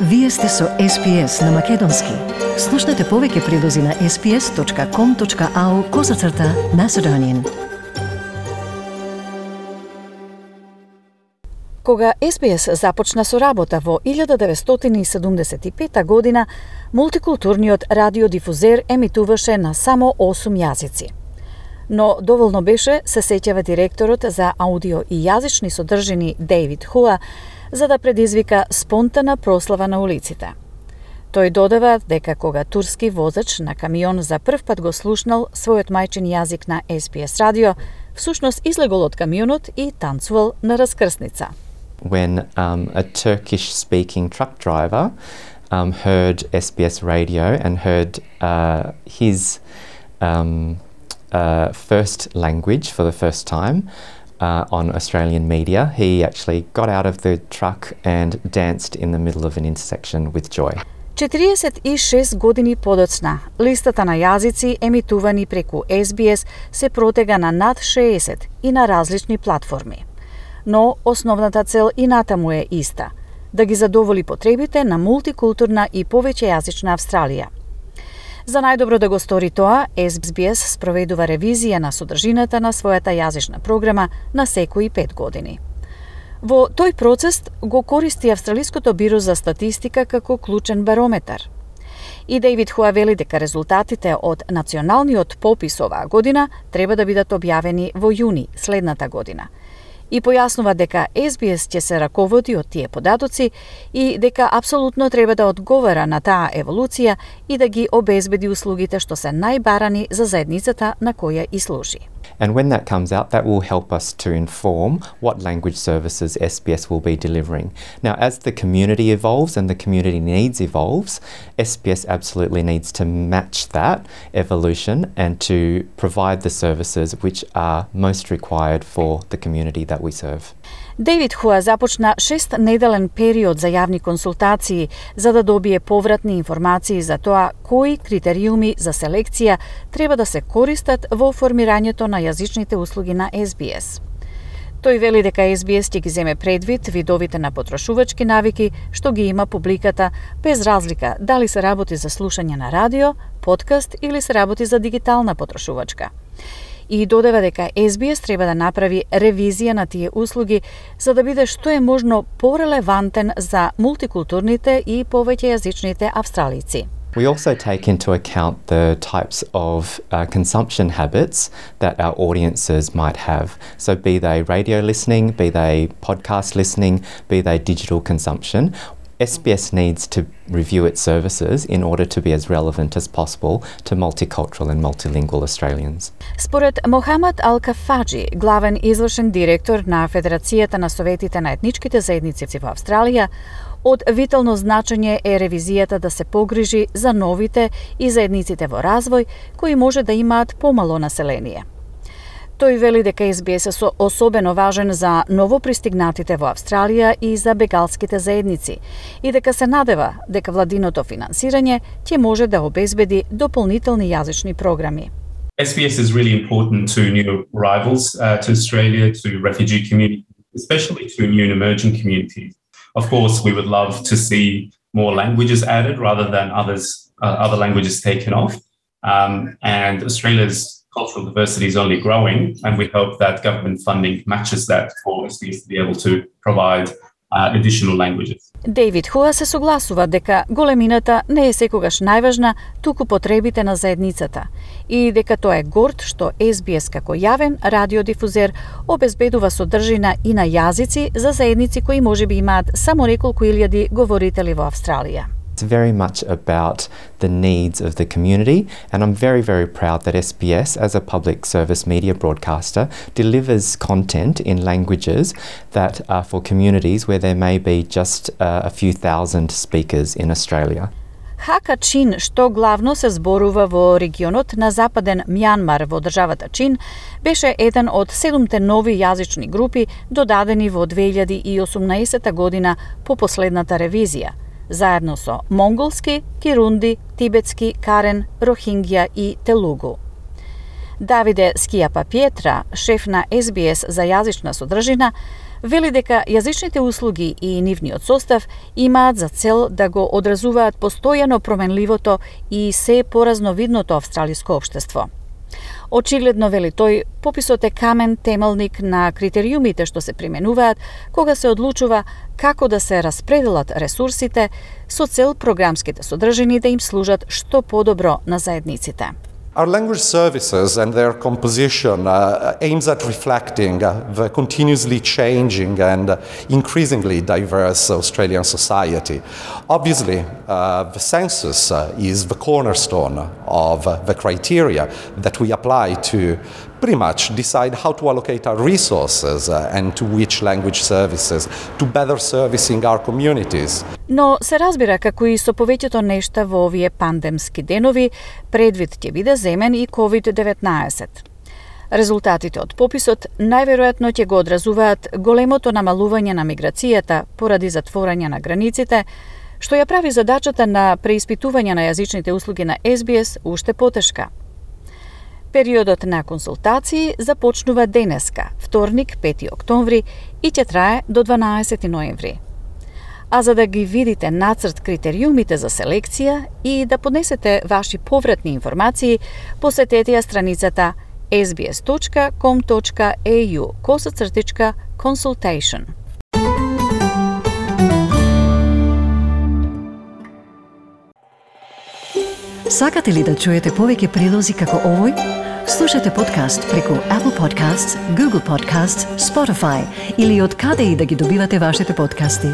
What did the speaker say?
Вие сте со SPS на Македонски. Слушнете повеќе прилози на sps.com.au/Macedonian. Кога SPS започна со работа во 1975 година, мултикултурниот радиодифузер емитуваше на само 8 јазици. Но доволно беше, се сеќава директорот за аудио и јазични содржини Дейвид Хуа, за да предизвика спонтана прослава на улиците. Тој додава дека кога турски возач на камион за прв пат го слушнал својот мајчин јазик на SPS радио, всушност излегол од камионот и танцувал на раскрсница. When a Turkish-speaking truck driver heard SBS radio and heard his first language for the first time on Australian media, he actually got out of the truck and danced in the middle of an intersection with joy. 46 години подоцна, листата на јазици емитувани преку SBS се протега на над 60 и на различни платформи. Но основната цел и натаму е иста – да ги задоволи потребите на мултикултурна и повеќејазична Австралија. За најдобро да го стори тоа, SBS спроведува ревизија на содржината на својата јазична програма на секои 5 години. Во тој процес го користи Австралиското биро за статистика како клучен барометар. И Дейвид Хуа вели дека резултатите од националниот попис оваа година треба да бидат објавени во јуни следната година. И појаснува дека SBS ќе се раководи од тие податоци и дека апсолутно треба да одговара на таа еволуција и да ги обезбеди услугите што се најбарани за заедницата на која и служи. And when that comes out, that will help us to inform what language services SBS will be delivering. Now, as the community evolves and the community needs evolves, SBS absolutely needs to match that evolution and to provide the services which are most required for the community that we serve. Дейвид Хуа започна 6-неделен период за јавни консултации за да добие повратни информации за тоа кои критериуми за селекција треба да се користат во формирањето на јазичните услуги на SBS. Тој вели дека SBS ќе ги земе предвид видовите на потрошувачки навики што ги има публиката, без разлика дали се работи за слушање на радио, подкаст или се работи за дигитална потрошувачка. И додава дека SBS треба да направи ревизија на тие услуги за да биде што е можно порелевантен за мултикултурните и повеќејазичните австралици. We also take into account the types of consumption habits that our audiences might have. So be they radio listening, be they podcast listening, be they digital consumption. SBS needs to review its services in order to be as relevant as possible to multicultural and multilingual Australians. Според Мохамад Ал-Кафаджи, главен извршен директор на Федерацијата на советите на етничките заедници во Австралија, од витално значење е ревизијата да се погрижи за новите и заедниците во развој кои може да имаат помало население. Тој вели дека SBS е особено важен за новопристигнатите во Австралија и за бегалските заедници и дека се надева дека владиното финансирање ќе може да обезбеди дополнителни јазични програми. SBS is really important to new arrivals to Australia, to refugee communities, especially to new and emerging communities. Of course, we would love to see more languages added rather than other languages taken off. And Australia's cultural diversity is only growing, and we hope that government funding matches that for SBS to be able to provide additional languages. Дейвид Хуа се согласува дека големината не е секогаш најважна, туку потребите на заедницата и дека тоа е горд што SBS како јавен радиодифузер обезбедува содржина и на јазици за заедници кои можеби имаат само неколку илјади говорители во Австралија. It's very much about the needs of the community, and I'm very, very proud that SBS, as a public service media broadcaster, delivers content in languages that are for communities where there may be just a few thousand speakers in Australia. Хака Чин, што главно се зборува во регионот на западен Мјанмар во државата Чин, беше еден од 7 нови јазични групи додадени во 2018 година по последната ревизија, заедно со монголски, кирунди, тибетски, карен, рохингја и телугу. Давиде Скијапа Пиетра, шеф на SBS за јазична содржина, Вели дека јазичните услуги и нивниот состав имаат за цел да го одразуваат постојано променливото и се поразновидното австралиско општество. Очигледно, вели тој, пописот е камен темелник на критериумите што се применуваат кога се одлучува како да се распределат ресурсите со цел програмските содржини да им служат што подобро на заедниците. Our language services and their composition aims at reflecting the continuously changing and increasingly diverse Australian society. Obviously, the census is the cornerstone of the criteria that we apply to pretty much decide how to allocate our resources and to which language services to better servicing our communities. Но се разбира како и со повеќето нешта во овие пандемски денови, предвид ќе биде земен и COVID-19. Резултатите од пописот најверојатно ќе го одразуваат големото намалување на миграцијата поради затворање на границите, што ја прави задачата на преиспитување на јазичните услуги на SBS уште потешка. Периодот на консултации започнува денеска, вторник, 5 октомври, и ќе трае до 12 ноември. А за да ги видите нацрт критериумите за селекција и да поднесете ваши повратни информации, посетете ја страницата sbs.com.au/consultation. Сакате ли да чуете повеќе прилози како овој? Слушате подкаст преку Apple Podcasts, Google Podcasts, Spotify или од каде и да ги добивате вашите подкасти.